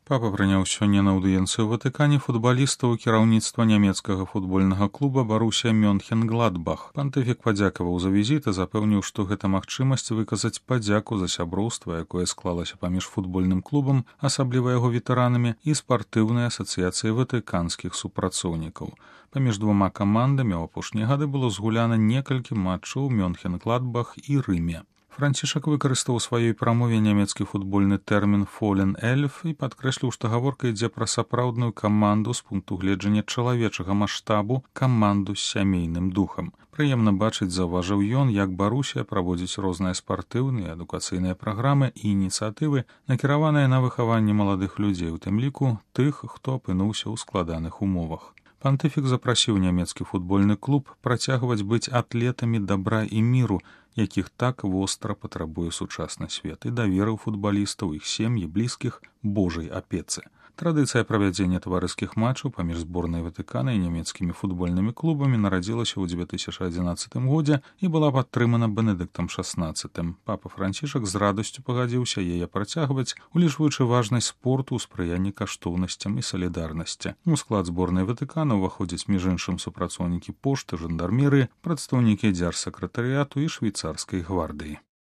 Папа прыняў сёння на аўдыенцыю ў Ватыкане футбалістаў кіраўніцтва нямецкага футбольнага клуба Барусія Мёнхен-Гладбах. Пантыфік падзякаваў за візіт і запэўніў, што гэта магчымасць выказаць падзяку за сяброўства, якое склалася паміж футбольным клубам, асабліва яго ветэранамі, і спартыўнай асацыяцыяй ватыканскіх супрацоўнікаў. Паміж двума камандамі ў апошнія гады было згуляна некалькі матчаў Мёнхен-Гладбах і Рыме. Францішак выкарыстаў у сваёй прамове нямецкі футбольны тэрмін «Фолен Эльф» і падкрэсліў, што гаворка ідзе пра сапраўдную каманду з пункту гледжання чалавечага маштабу, каманду з сямейным духам. Прыемна бачыць, заўважыў ён, як Барусія праводзіць розныя спартыўныя, адукацыйныя праграмы і ініцыятывы, накіраваныя на выхаванне маладых людзей, у тым ліку тых, хто апынуўся ў складаных умовах. Пантыфік запрасіў нямецкі футбольны клуб працягваць быць атлетамі дабра і міру, якіх так востра патрабуе сучасны свет, і даверыў футбалістаў, іх сем'і, блізкіх Божай апецы. Традыцыя правядзення таварыскіх матчаў паміж зборнай Ватыкана і нямецкімі футбольнымі клубамі нарадзілася ў 2011 годзе і была падтрымана Бенедыктам XVI. Папа Францішак з радасцю пагадзіўся яе працягваць, улічваючы важнасць спорту ў спрыянні каштоўнасцям і салідарнасці. У склад зборнай Ватыкана ўваходзяць між іншым супрацоўнікі пошты, жандармерыі, прадстаўнікі дзяржсакратарыяту і швейцарскай гвардыі.